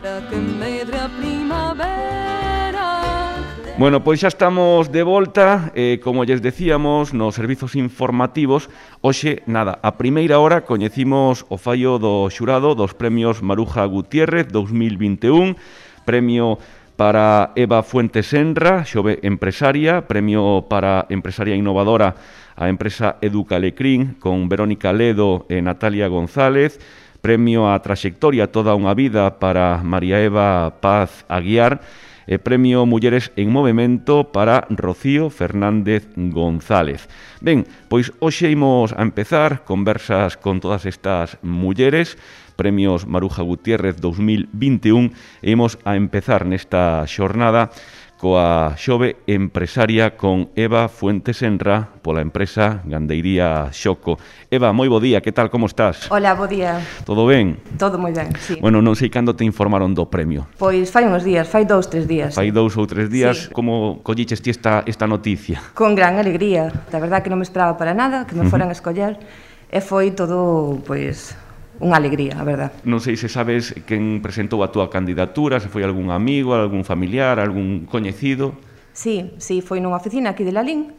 para que medre a primavera. Bueno, pois xa estamos de volta, como lles decíamos, nos servizos informativos. Hoxe, nada, a primeira hora coñecimos o fallo do xurado dos premios Maruja Gutiérrez 2021, premio para Eva Fuentes Senra, xove empresaria, premio para empresaria innovadora a empresa Educalecrín con Verónica Ledo e Natalia González, premio a Traxectoria toda unha vida para María Eva Paz Aguiar, e premio Mulleres en Movemento para Rocío Fernández González. Ben, pois hoxe imos a empezar conversas con todas estas mulleres, premios Maruja Gutiérrez 2021, e imos a empezar nesta xornada coa xove empresaria con Eva Fuentes Senra pola empresa Gandeiría Xoco. Eva, moi bo día, que tal, como estás? Hola, bo día. Todo ben? Todo moi ben, sí. Bueno, non sei cando te informaron do premio. Pois fai uns días, fai 2-3 días. Fai 2 ou 3 días, Sí. como colliches ti esta noticia? Con gran alegría. Da verdad que non me esperaba para nada que me foran a escoller e foi todo, pois, unha alegría, a verdad. Non sei se sabes quen presentou a túa candidatura, se foi algún amigo, algún familiar, algún coñecido. Sí, foi nunha oficina aquí de Lalín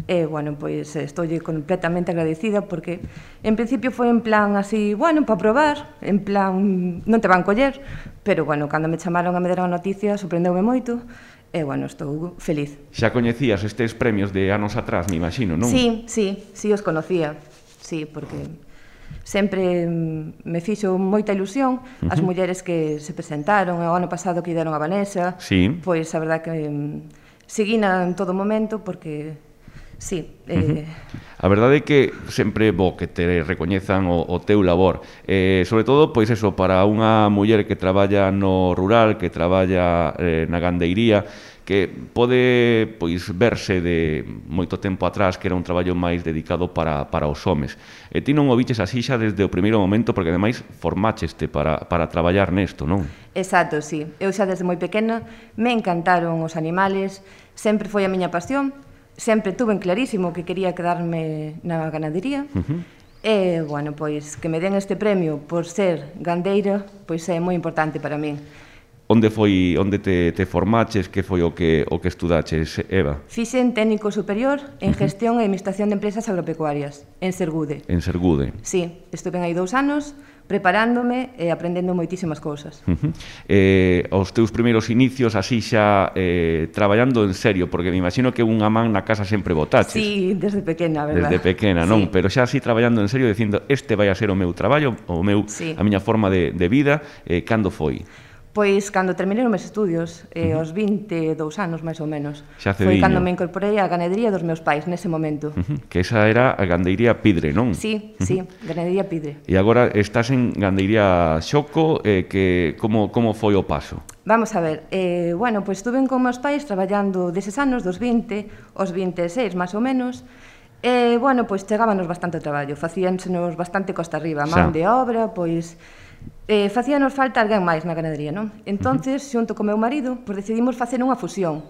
e, bueno, pois estoulle completamente agradecida porque en principio foi en plan así, bueno, para probar, en plan, non te van coller, pero, bueno, cando me chamaron a me dar a noticia sorprendeume moito e, bueno, estou feliz. Xa coñecías estes premios de anos atrás, me imagino, non? Sí, os conocía, sí, porque sempre me fixo moita ilusión as mulleres que se presentaron, o ano pasado que deron a Vanessa, Sí. pois a verdad que seguina en todo momento porque sí, A verdade é que sempre é bo que te recoñezan o teu labor. Sobre todo, pois eso, para unha muller que traballa no rural, que traballa na gandeiría, que pode pois verse de moito tempo atrás que era un traballo máis dedicado para os homes. E ti non o viches así xa desde o primeiro momento, porque ademais formácheste para traballar nesto, non? exacto, sí. Eu xa desde moi pequena me encantaron os animales, sempre foi a miña pasión, sempre tuve clarísimo que quería quedarme na ganadería. E, bueno, pois que me den este premio por ser gandeira, pois é moi importante para min. Onde te formaches, que foi o que estudaches, Eva? Fixen técnico superior en gestión e administración de empresas agropecuarias, en Sergude. En Sergude. Sí, estuve aí 2 anos preparándome e aprendendo moitísimas cousas. Os teus primeiros inicios así xa traballando en serio, porque me imagino que unha man na casa sempre botaches. Sí, desde pequena, verdad? Desde pequena, non? Sí. Pero xa así traballando en serio, dicindo, este vai a ser o meu traballo, Sí. a miña forma de vida, cando foi? Pois cando terminei os meus estudios, aos 22 anos máis ou menos, Xa foi cediño. cando me incorporei á ganadería dos meus pais nese momento. Que esa era a Gandeiría Pidre, non? Sí, ganadería Pidre. E agora estás en Gandeiría Xoco, que como foi o paso? Vamos a ver, bueno, pois estuve con meus pais traballando deses anos, dos 20 aos 26 máis ou menos, e, bueno, pois chegábanos bastante traballo, facíansenos bastante costa arriba, man de obra, pois facíanos falta alguén máis na ganadería, non? Entonces, xunto co meu marido, pois decidimos facer unha fusión.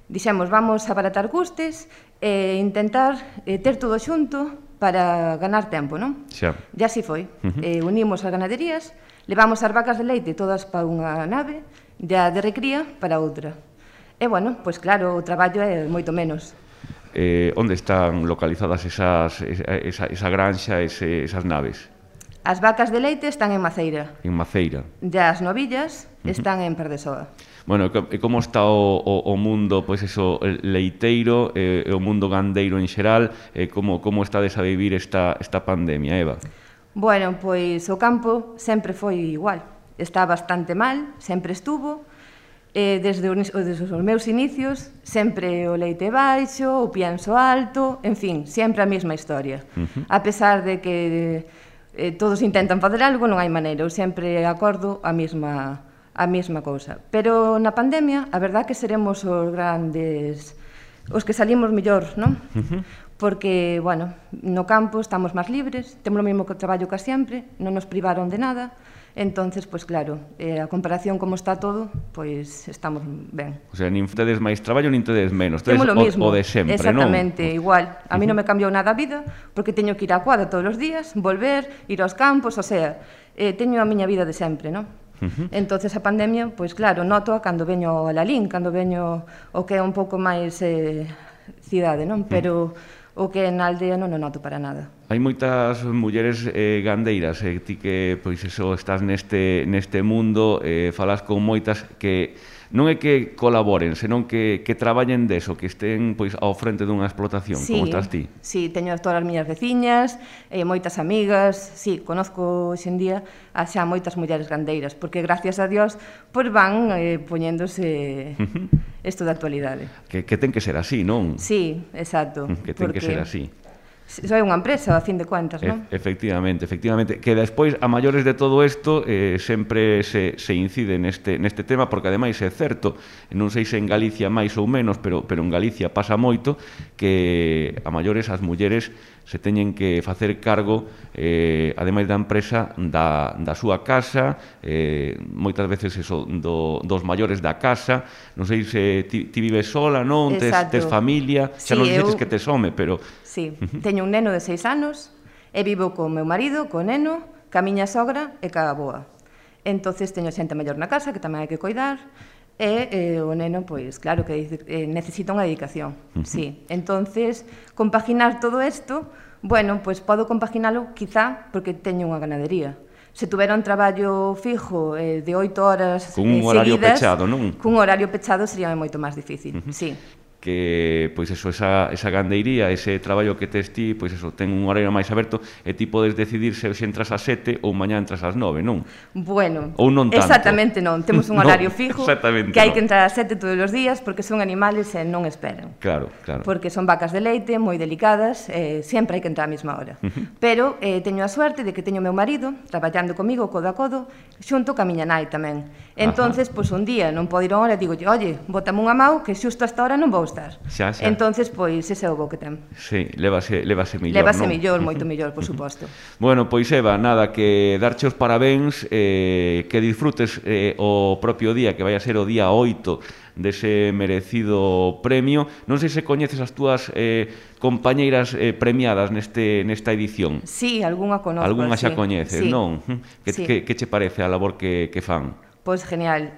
Dixemos, vamos a abaratar custes e intentar ter todo xunto para ganar tempo, non? Xa. E así foi. Unimos as ganaderías, levamos as vacas de leite todas para unha nave, e a de recría para outra. E, bueno, pois claro, o traballo é moito menos. Onde están localizadas esa granxa, esas naves? As vacas de leite están en Maceira. En Maceira. E as novillas están en Pardesoa. Bueno, e como está o mundo, pois eso, leiteiro, e o mundo gandeiro en xeral, como estades a vivir esta pandemia, Eva? Bueno, pois o campo sempre foi igual. Está bastante mal, sempre estuvo. Desde os meus inicios, sempre o leite baixo, o pienso alto, en fin, sempre a mesma historia. A pesar de que todos intentan facer algo, non hai maneira, eu sempre acordo a mesma cousa. Pero na pandemia, a verdad que seremos os grandes, os que salimos mellor, non? Porque, bueno, no campo estamos máis libres, temos o mesmo traballo que sempre, non nos privaron de nada, entonces, pois claro, a comparación como está todo, pois estamos ben. O sea, nin tedes máis traballo, nin tedes menos. Temos o mismo, o de sempre, exactamente, non? igual. A mí non me cambiou nada a vida, porque teño que ir á cuadra todos os días, volver, ir aos campos, o sea, teño a miña vida de sempre, non? Entonces a pandemia, pois claro, noto cando veño a Lalín, cando veño o que é un pouco máis cidade, non? Pero o que na aldea non o noto para nada. Hai moitas mulleres gandeiras, ti que pois eso estás neste mundo, falas con moitas que non é que colaboren, senón que traballen deso, que estén pois ao frente dunha explotación, como estás ti. Sí, teño todas as miñas veciñas, moitas amigas, sí, conozco hoxe en día xa moitas mulleres gandeiras, porque gracias a Dios pois van poñéndose isto da actualidade. Que ten que ser así, non? Sí, exacto. Que ten que ser así. Soy unha empresa, a fin de cuentas, non? Efectivamente. Que despois, a maiores de todo isto, sempre se incide neste tema, porque ademais é certo, non sei se en Galicia máis ou menos, pero en Galicia pasa moito, que a maiores as mulleres se teñen que facer cargo, ademais da empresa, da súa casa, moitas veces dos maiores da casa. Non sei se ti vives sola, non? Tes familia, xa non dices que tes home, pero... Sí, teño un neno de 6 anos e vivo co meu marido, co neno, ca miña sogra e ca avoa. Entonces teño xente maior na casa que tamén hai que coidar e o neno, pois, claro que necesita unha dedicación, sí. Entonces, compaginar todo isto, bueno, pois podo compaginalo quizá porque teño unha ganadería. Se tuvera un traballo fijo de 8 horas seguidas... Con un horario pechado, non? Cun horario pechado sería moito máis difícil, sí. Que, pois eso, esa gandeiría, ese traballo que tes ti, pois eso, ten un horario máis aberto e ti podes decidir se entras ás 7 ou mañá entras ás 9, non? Bueno, ou non tanto. Exactamente non, temos un horario fijo que hai que entrar ás 7 todos os días porque son animales e non esperan. Claro. Porque son vacas de leite, moi delicadas, sempre hai que entrar á mesma hora. Pero teño a suerte de que teño o meu marido traballando comigo codo a codo, xunto ca miña nai tamén. Entonces, pois un día non podo ir a hora e digo, oye, bótame unha mau que xusto hasta hora non vou estar. Entonces, pois, ese é o bo que ten. Sí, lévase millor, Lévase millor, moito millor, por suposto. Bueno, pois Eva, nada, que darche os parabéns, que disfrutes o propio día, que vai a ser o día 8 dese merecido premio. Non sei se coñeces as túas compañeiras premiadas nesta edición. Sí, algunha conozco. Algunha xa coñeces, non? Que che parece a labor que fan? Pois genial.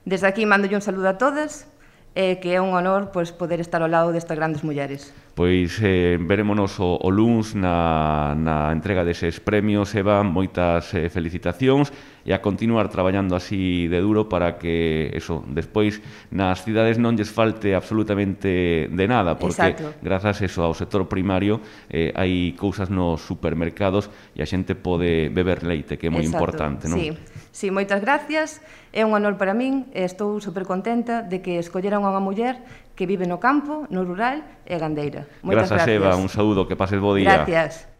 Desde aquí mando un saludo a todas, que é un honor poder estar ao lado destas grandes mulleres. Pois verémonos o luns na entrega deses premios, Eva, moitas felicitacións e a continuar traballando así de duro para que, eso, despois nas cidades non lles falte absolutamente de nada, porque grazas ao sector primario hai cousas nos supermercados e a xente pode beber leite, que é moi importante, non? Sí, moitas gracias, é un honor para min e estou supercontenta de que escolleran unha muller que vive no campo, no rural e gandeira. Grazas, Eva, un saúdo, que pases bo día. Gracias.